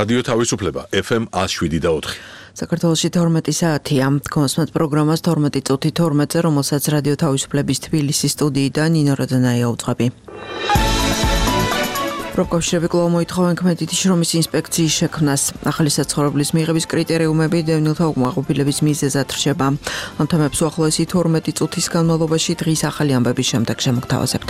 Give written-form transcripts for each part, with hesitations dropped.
რადიო თავისუფლება FM 107.4. საქართველოში 12 საათია. კონსმეთ პროგრამას 12 წუთი 12-ზე, რომელსაც რადიო თავისუფლების თბილისის სტუდიიდან ნინო როდანაია უძღვები. პროკავშირები კვლავ მოითხოვენ ქმედითი შრომის ინსპექციის შექმნას. ახალი საცხოვრებლის მიღების კრიტერიუმები დევნილთა უკმაყოფილების მიზეზად რჩება. ამ თემებს უახლოესი 12 წუთის განმავლობაში დღის ახალი ამბების შემდეგ შემოგთავაზებთ.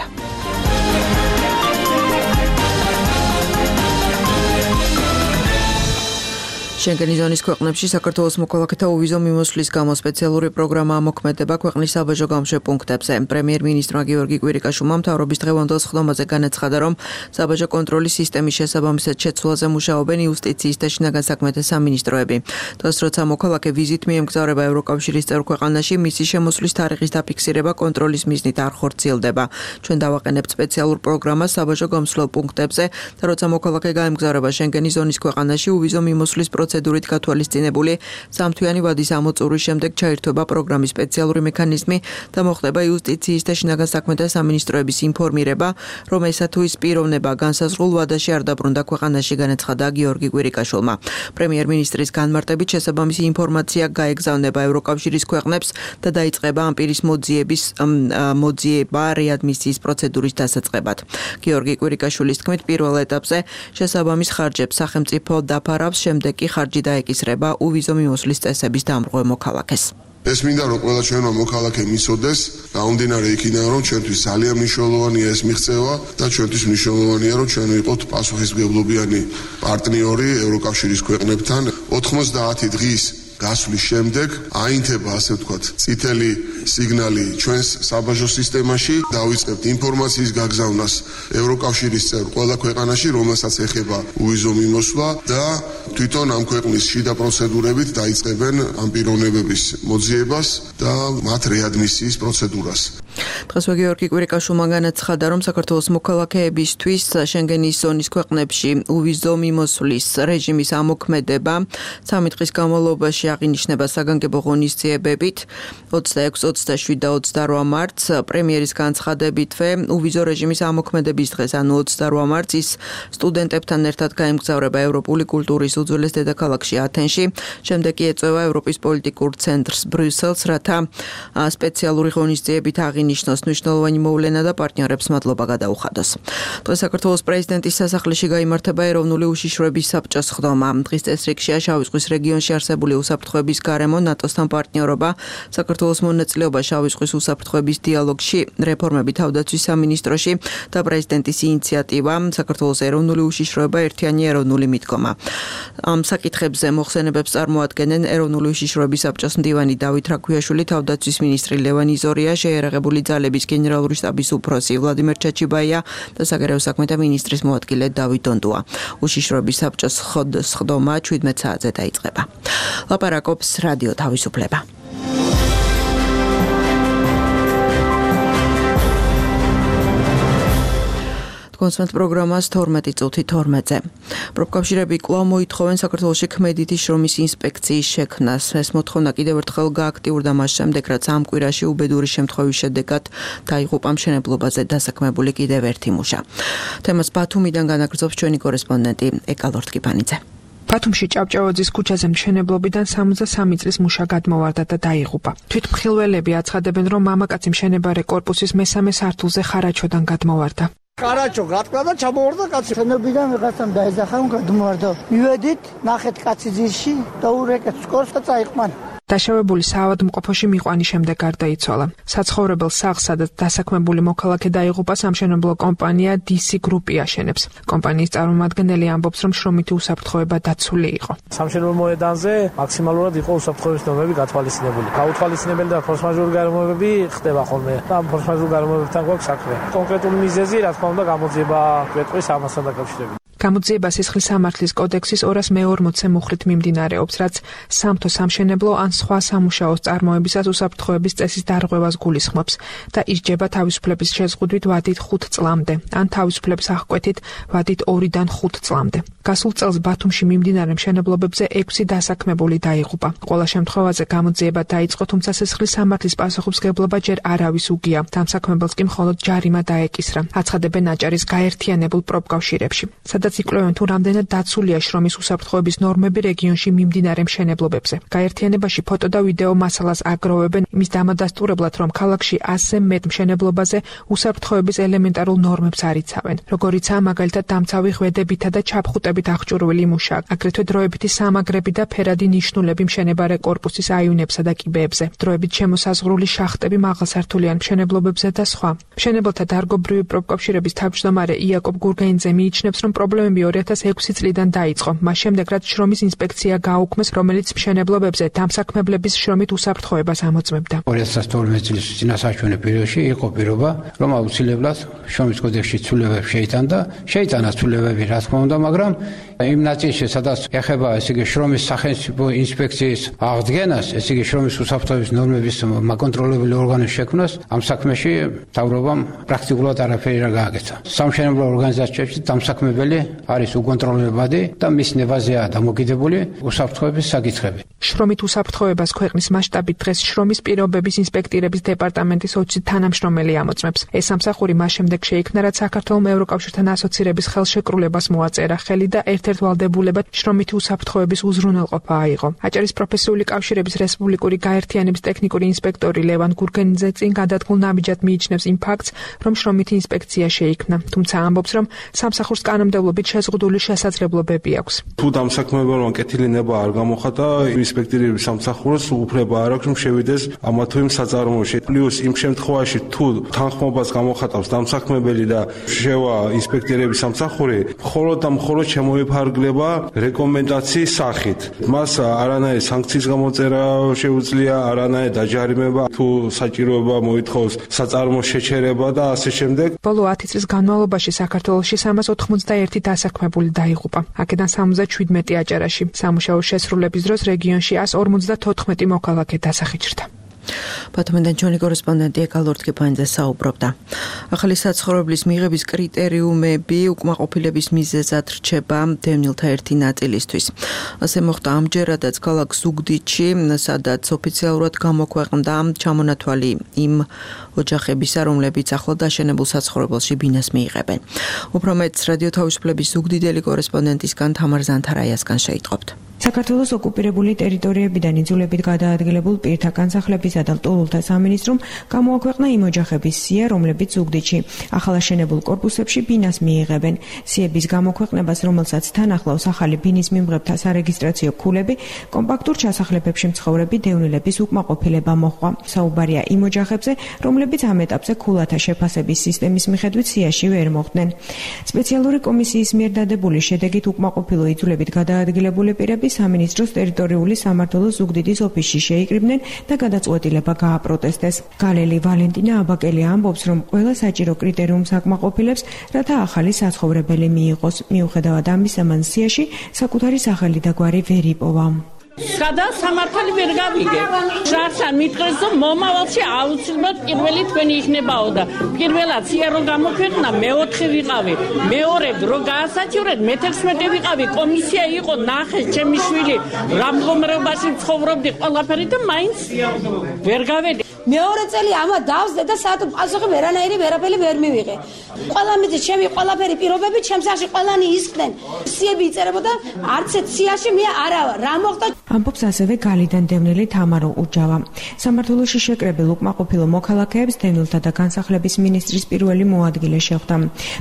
შენგენის ზონის ქვეყნებში საქართველოს მოქალაქეთა უვიზო მიმოსვლის გამო სპეციალური პროგრამა ამოქმედება ქვეყნის საბაჟო გამშვე პუნქტებზე. პრემიერ-მინისტრმა გიორგი კვირიკაშვილმა მთავრობის დღევანდელ სხდომაზე განაცხადა, რომ საბაჟო კონტროლის სისტემის შესაბამისად შეცვლაზე მუშაობენ იუსტიციის და შინაგან საქმეთა სამინისტროები. დღეს როცა მოქალაქე ვიზით მიემგზავრება ევროკავშირის წევრ ქვეყანაში, მისი შემოსვლის თარიღის დაფიქსირება კონტროლის მიზნით არ ხორციელდება. ჩვენ დავაყენებთ სპეციალურ პროგრამას საბაჟო გამსვლელ პუნქტებზე და როცა მოქალაქე გაემგზავრება შენგენის ზონის ქვეყანაში, უვიზო მიმოსვლის პროცედურით გათვალისწინებული სამთვიანი ვადის ამოწურვის შემდეგ ჩაირთვება პროგრამის სპეციალური მექანიზმი და მოხდება იუსტიციის და შინაგან საქმეთა სამინისტროების ინფორმირება, რომ ესა თუ ის პიროვნება განსაზღვრულ ვადაში არ დაბრუნდა ქვეყანაში, განაცხადა გიორგი კვირიკაშვილმა. პრემიერ-მინისტრის განმარტებით შესაბამისი ინფორმაცია გაეგზავნება ევროკავშირის ქვეყნებს და დაიწყება ამ პირის მოძიება რეადმისიის პროცედურის დასაწყებად. გიორგი კვირიკაშვილის თქმით, პირველ ეტაპზე შესაბამის ხარჯებს სახელმწიფო დაფარავს, შემდეგ კი ხარჯი დაეკისრება უვიზო მიმოსვლის წესების დამრღვევ მოქალაქეს. ეს მინდა რომ ყველა ჩვენმა მოქალაქემ იცოდეს, გამომდინარე იქიდან რომ ჩვენთვის ძალიან მნიშვნელოვანია ეს მიღწევა და ჩვენთვის მნიშვნელოვანია რომ ჩვენ ვიყოთ პასუხისმგებლობიანი პარტნიორი ევროკავშირის ქვეყნებთან. 90 დღის გასვლის შემდეგ აინთება, ასე ვთქვათ, წითელი სიგნალი ჩვენს საბაჟო სისტემაში, დავიწყებთ ინფორმაციის გაგზავნას ევროკავშირის წევრ ყველა ქვეყანაში, რომელსაც ეხება უვიზო მიმოსვლა და თვითონ ამ ქვეყნის შიდა პროცედურებით დაიწყებენ ამ პიროვნებების მოძიებას და მათ რეადმისიის პროცედურას. დღესვე გიორგი კვირიკაშვილმა განაცხადა, რომ საქართველოს მოქალაქეებისთვის შენგენის ზონის ქვეყნებში უვიზო მიმოსვლის რეჟიმის ამოქმედება 3 დღის განმავლობაში აღინიშნება საგანგებო ღონისძიებებით 26, 27 და 28 მარტს. პრემიერის განცხადებითვე უვიზო რეჟიმის ამოქმედების დღეს, ანუ 28 მარტს ის სტუდენტებთან ერთად გაემგზავრება ევროპული კულტურის უძველეს დედაქალაქში ათენში. შემდეგ კი ეწევა ევროპის პოლიტიკურ ცენტრს ბრიუსელს, რათა სპეციალური ღონისძიებით აღინიშნოს მნიშვნელოვანი მოვლენა და პარტნიორებს მადლობა გადაუხადოს. დღეს საქართველოს პრეზიდენტის სასახლეში გაიმართება ეროვნული უშიშროების საბჭოს სხდომა. დღის წესრიგშია შავი ზღვის რეგიონში არსებული უსაფრთხოების გარემო, ნატოსთან პარტნიორობა, საქართველოს მონაწილეობა შავი ზღვის უსაფრთხოების დიალოგში, რეფორმები თავდაცვის სამინისტროში და პრეზიდენტის ინიციატივა საქართველოს ეროვნული უშიშროება ერთიანი ეროვნული მიდგომა. ამ საკითხებზე მოხსენებებს წარმოადგენენ ეროვნული უშიშროების საბჭოს მდივანი დავით რაქვიაშვილი, თავდაცვის მინისტრი ლევან იზორია, შეიარაღებული ძალების გენერალური შტაბის უფროსი ვლადიმერ ჩაჩიბაია და საგარეო საქმეთა მინისტრის მოადგილე დავით დონდუა. უშიშროების საბჭოს სხდომა 17 საათზე დაიწყება. ლაპარაკობს რადიო თავისუფლება. კონსმეთ პროგრამას 12 წუთი 12-ზე. პროფკავშირები კვლავ მოითხოვენ საქართველოში ქმედითი შრომის ინსპექციის შექმნას. ეს მოთხოვნა კიდევ ერთხელ გააქტიურდა მას შემდეგ, რაც ამ კვირაში უბედური შემთხვევის შედეგად დაიღუპა მშენებლობაზე დასაქმებული კიდევ ერთი მუშა. თემას ბათუმიდან განაგრძობს ჩვენი კორესპონდენტი ეკა ლორთკიფანიძე. ბათუმში ჭავჭავაძის ქუჩაზე მშენებლობიდან 63 წლის მუშა გადმოვარდა და დაიღუპა. თვითმხილველები აცხადებენ, რომ მამაკაცი მშენებარე კორპუსის მესამე სართულზე ხარაჩოდან გადმოვარდა. Карачо გატყდა და ჩამოვარდა კაცი. შენებიდან ვიღაცამ დაეძახა, გადმოვარდა. მივედით, ნახეთ კაცი ძირში და ურეკეთ სკოლს და წაიყვანა. დაშავებული საავადმყოფოში მიყვანის შემდეგ გარდაიცვალა. საცხოვრებელ სახლს, სადაც დასაქმებული მოქალაქე დაიღუპა, სამშენებლო კომპანია DC Group-ი აშენებს. კომპანიის წარმომადგენელი ამბობს, რომ შრომითი უსაფრთხოება დაცული იყო. სამშენებლო მოედანზე მაქსიმალურად იყო უსაფრთხოების ნორმები გათვალისწინებული. გაუთვალისწინებელი და ფორსმაჟორული გარემოებები ხდება ხოლმე. ამ ფორსმაჟორულ გარემოებებთან გვაქვს საქმე. კონკრეტული მიზეზი, რა თქმა უნდა, გამოძიება კვეთყვის ამასთან დაკავშირებით. გამოძიება სისხლის სამართლის კოდექსის 240-ე მუხლით მიმდინარეობს, რაც სამთო სამშენებლო ან სხვა სამუშაოს წარმოებისას უსაფრთხოების წესის დარღვევას გულისხმობს და ისჯება თავისუფლების შეზღუდვით ვადით 5 წლამდე, ან თავისუფლების აღკვეთით ვადით 2-დან 5 წლამდე. გასულ წელს ბათუმში მიმდინარე მშენებლობებზე 6 დასაქმებული დაიღუპა. Ყველა შემთხვევაზე გამოძიება დაიწყო, თუმცა სისხლის სამართლის პასუხისმგებლობა ჯერ არავის უგია. დამსაქმებელს კი მხოლოდ ჯარიმა დაეკისრა. აცხადებენ აჭარის გაერთიანებულ პროფკავშირებში, სადაც იკვლევენ თუ რამდენად დაცულია შრომის უსაფრთხოების ნორმები რეგიონში მიმდინარე მშენებლობებზე. გაერთიანებაში ფოტო და ვიდეო მასალას აგროვებენ იმის დამადასტურებლად, რომ ქალაქში 100-ზე მეტ მშენებლობაზე უსაფრთხოების ელემენტარულ ნორმებს არ იცავენ. როგორიცაა მაგალითად დამცავი ღვედებითა და ჩაფხუტებით აღჭურვილი მუშა, აგრეთვე დროებითი სამაგრები და ფერადი ნიშნულები მშენებარე კორპუსის აივნებსა და კიბეებზე, დროებით შემოსაზღვრული შახტები მაღალსართულიან მშენებლობებზე და სხვა. მშენებელთა დარგობრივი პროფკავშირების თავმჯდომარე იაკობ გურგენიძე მიიჩნევს, რომ პრობლემები 2006 წლიდან დაიწყო, მას შემდეგ რაც შრომის ინსპექცია გააუქმეს, რომელიც მშენებლობებზე დამსაქმებლების შრომით უსაფრთხოებას ამოწმებდა. 2012 წლის წინასაჩვენე პერიოდში იყო პირობა, რომ აუცილებლად შრომის კოდექსში ცვლილებები შეიტანა ცვლილებები, რა თქმა უნდა, მაგრამ იმ ნაწილში, სადაც ეხება შრომის სახელმწიფო ინსპექციის აღდგენას, შრომის უსაფრთხოების ნორმების მაკონტროლებელი ორგანოს შექმნას, ამ საქმეში მთავრობამ პრაქტიკულად არაფერი არ გააკეთა. სამშენებლო ორგანიზაციებში დამსაქმებელი არის უკონტროლებადი და მის ნებაზეა დამოკიდებული უსაფრთხოების საკითხები. შრომით უსაფრთხოებას ქვეყნის მასშტაბით დღეს შრომის პირობების ინსპექტირების დეპარტამენტის 20 თანამშრომელი ამოწმებს. ეს სამსახური მას შემდეგ შეიქმნა, რაც საქართველოს ევროკავშირთან ასოცირების ხელშეკრულებას მოაწერა ხელი და ერთ-ერთ ვალდებულებად შრომითი უსაფრთხოების უზრუნველყოფა აიღო. აჭარის პროფესიული კავშირების რესპუბლიკური გაერთიანების ტექნიკური ინსპექტორი ლევან გურგენიძე წინ გადადგმულ ნაბიჯად მიიჩნევს იმ ფაქტს, რომ შრომითი ინსპექცია შეიქმნა, თუმცა ამბობს, რომ სამსახურს კანონმდებლობით შეზღუდული შესაძლებლობები აქვს. თუ დამსაქმებელმა კეთილი ნება არ გამოხატა, ინსპექტირების სამსახურს უფლება არ აქვს, რომ შევიდეს ამა თუ იმ საწარმოოში. პლუს იმ შემთხვევაში, თუ თანხმობას გამოხატავს დამსაქმებელი და შევა ინსპექტირების სამსახური, მხოლოდ და მხოლოდ შემოიფარგლება რეკომენდაციის სახით. მას არანაირი სანქციის გამოწერა შეუძლია, არანაირი დაჯარიმება, თუ საჭიროება მოითხოვს საწარმოს შეჩერება და ასე შემდეგ. ბოლო 10 წლის განმავლობაში საქართველოში 391 დასაქმებული დაიღუპა. აქედან 77 აჭარაში. სამუშაო შესრულების დროს რეგიონში 154 მოქალაქე დასახიჭრდა. ბათუმიდან ჩვენი კორესპონდენტი ეკალორთკიფანიძე საუბრობდა. ახალი საცხოვრებლის მიღების კრიტერიუმები უკმაყოფილების მიზეზად რჩება დევნილთა ერთი ნაწილისთვის. ასე მოხდა ამჯერადაც ქალაქ ზუგდიდში, სადაც ოფიციალურად გამოქვეყნდა ჩამონათვალი იმ ოჯახებისა, რომლებიც ახლად დაშენებულ საცხოვრებელში ბინას მიიღებენ. უფრო მეტს რადიო თავისუფლების ზუგდიდელი კორესპონდენტისგან თამარ ზანთარაიასგან შეიტყობთ. საქართველოს ოკუპირებული ტერიტორიებიდან იძულებით გადაადგილებულ პირთა განსახლებისა და ლტოლვილთა სამინისტრომ გამოაქვეყნა იმ ოჯახების სია, რომლებიც ზუგდიდში ახალაშენებულ კორპუსებში ბინას მიიღებენ. სიების გამოქვეყნებას, რომელსაც თან ახლავს ახალი ბინის მიმღებთა სარეგისტრაციო ქულები, კომპაქტურ ჩასახლებებში მცხოვრები დევნილების უკმაყოფილება მოჰყვა. საუბარია იმ ოჯახებზე, რომლებიც ამ ეტაპზე ქულათა შეფასების სისტემის მიხედვით სიაში ვერ მოხვდნენ. სპეციალური კომისიის მიერ დადებული შედეგით უკმაყოფილო იძულებით გადაადგილებული პირები სამინისტროს ტერიტორიული სამმართველოს ზუგდიდის ოფისში შეიკრიბნენ და გადაწყვეტილება გააპროტესტეს. გალელი ვალენტინა აბაკელი ამბობს, რომ ყველა საჭირო კრიტერიუმს აკმაყოფილებს, რათა ახალი საცხოვრებელი მიიღოს. მიუხედავად ამისა, მან სიაში საკუთარი სახელი და გვარი ვერ იპოვა. გადასამართალი ვერ გავიგე. შარშან მიტყვის, რომ მომავალში აუცილებლად პირველი თქვენი იქნებაო და პირველად სია რო გამოქვეყნა, მეოთხე ვიყავი. მეორე რო გაასაჩივრეთ, მე-11 ვიყავი. კომისია იყო, ნახეს ჩემი შვილი რა მდგომარეობაში ცხოვრობდი, ყველაფერი და მაინც ვერ გავედი. მეორე წელი ამა დავსდე და საათო პასუხი ვერაფერი ვერ მივიღე. ყველა მიზეზი ჩემი ყველაფერი პირობები ჩემს სიაში ყველანი ისხდნენ. სიები იწერებოდა, არც ერთ სიაში მე არა ვარ. რა მოხდა? ამბობს ასევე გალიდან დევნილი თამარო უჯავა. სამმართველოში შეკრებილ უკმაყოფილო მოქალაქეებს დევნილთა და განსახლების მინისტრის პირველი მოადგილე შეხვდა.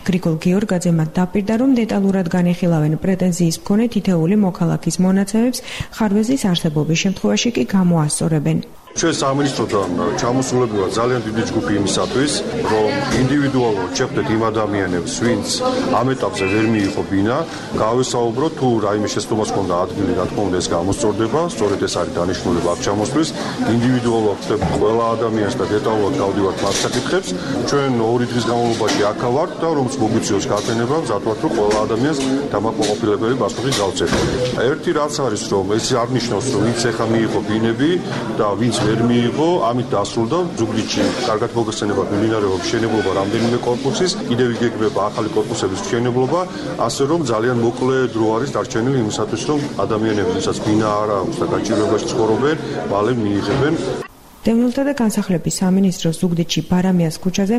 გრიგოლ გიორგაძე მათ დაპირდა, რომ დეტალურად განიხილავენ პრეტენზიის მქონე თითეული მოქალაქის მონაცემებს, ხარვეზის არსებობის შემთხვევაში კი გამოასწორებენ. ჩვენ სამინისტროდან ჩამოსულები ვართ ძალიან დიდი ჯგუფი იმისათვის, რომ ინდივიდუალურად შეხვდეთ იმ ადამიანებს, ვინც ამ ეტაპზე ვერ მიიღო ბინა, გავესაუბროთ თუ რაიმე შეცდომას ჰქონდა ადგილი, რა თქმა უნდა ეს გამოსწორდება, სწორედ ეს არის დანიშნულება აქ ჩამოსვლის. ინდივიდუალურად ხვდებით ყველა ადამიანს და დეტალურად გავდივართ მათ საკითხებს. ჩვენ 2 დღის განმავლობაში აქ ვართ და რომც მოგვიწევს გაფრენება, მზად ვართ რომ ყველა ადამიანს დამაკმაყოფილებელი პასუხი გავცეთ. ერთი რაც არის, რომ ეს არ ნიშნავს, რომ ვინც ეხა მიიღო ბინები და ვინც ვერ მიიღო, ამით დასრულდა ზუგდიდში კარგად მოგესწრება მიმდინარეობა მშენებლობა რამდენიმე კორპუსის, კიდევ იგეგმება ახალი კორპუსების მშენებლობა, ასე რომ ძალიან მოკლე დრო არის დარჩენილი იმისათვის, რომ ადამიანები, ვისაც ბინა არ აქვს და გაჭირვებაში ცხოვრობენ, მალე მიიღებენ. დევნილთა და განსახლების სამინისტრო ზუგდიდში ბარამიას ქუჩაზე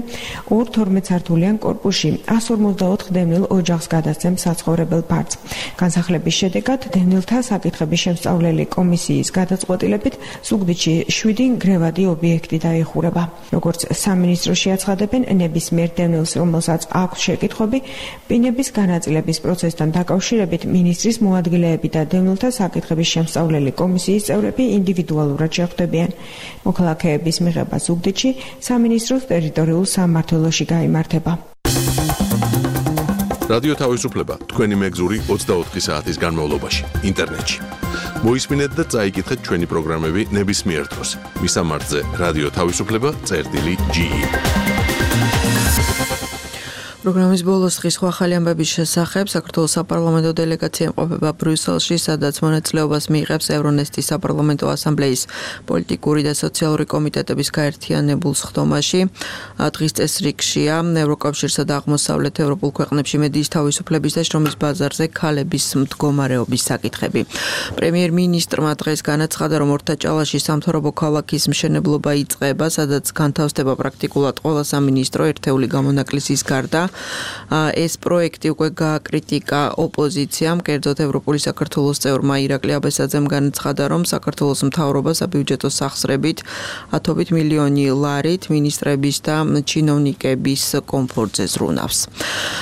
2-12 სართულიან კორპუსში 154 დევნილ ოჯახს გადასცემს საცხოვრებელ ფართს. განსახლების შედეგად დევნილთა საკითხების შემსწავლელი კომისიის გადაწყვეტილებით ზუგდიდში 7 გრევადი ობიექტი დაიხურება. როგორც სამინისტროში აცხადებენ, ნებისმიერ დევნილს, რომელსაც აქვს შეკითხვები, პინების განაწილების პროცესთან დაკავშირებით მინისტრის მოადგილეები და დევნილთა საკითხების შემსწავლელი კომისიის წევრები ინდივიდუალურად შეხვდებიან. მოქალაქეების მიღება ზუგდიდში სამინისტროს ტერიტორიულ სამმართველოში გაიმართება. რადიო თავისუფლება თქვენი მეგზური 24 საათის განმავლობაში ინტერნეტში. მოისმინეთ და წაიკითხეთ ჩვენი პროგრამები ნებისმიერ დროს. მისამართზე რადიო თავისუფლება.ge პროგრამის ბოლოს დღის სხვა ახალი ამბების შესახებ საქართველოს საპარლამენტო დელეგაცია იმყოფება ბრიუსელში, სადაც მონაწილეობას მიიღებს ევრონესტის საპარლამენტო ასამბლეის პოლიტიკური და სოციალური კომიტეტების გაერთიანებულ სხდომაში. დღის წესრიგშია ევროკავშირსა და აღმოსავლეთ ევროპულ ქვეყნებში მედიის თავისუფლების და შრომის ბაზარზე ქალების მდგომარეობის საკითხები. პრემიერ-მინისტრმა დღეს განაცხადა, რომ ორთაჭალაში სამთავრობო ქალაქის მშენებლობა იწყება, სადაც განთავსდება პრაქტიკულად ყველა სამინისტრო ერთეული გამონაკლისის გარდა. ეს პროექტი უკვე გააკრიტიკა ოპოზიციამ, კერძოდ ევროპული საქართველოს წევრმა ირაკლი აბესაძემ განაცხადა, რომ საქართველოს მთავრობა საბიუჯეტო სახსრებით 10 მილიონი ლარით მინისტრების და ჩინოვნიკების კომფორტზე ზრუნავს.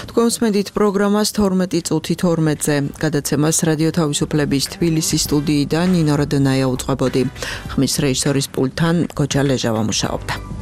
თქვენ უსმენთ პროგრამას 12 წუთი 12-ზე გადაცემას რადიო თავისუფლების თბილისის სტუდიიდან ნინო როდონაია უწყებოდი. ხმის რეჟისორის პულტთან გოჯა ლეჟავა მუშაობდა.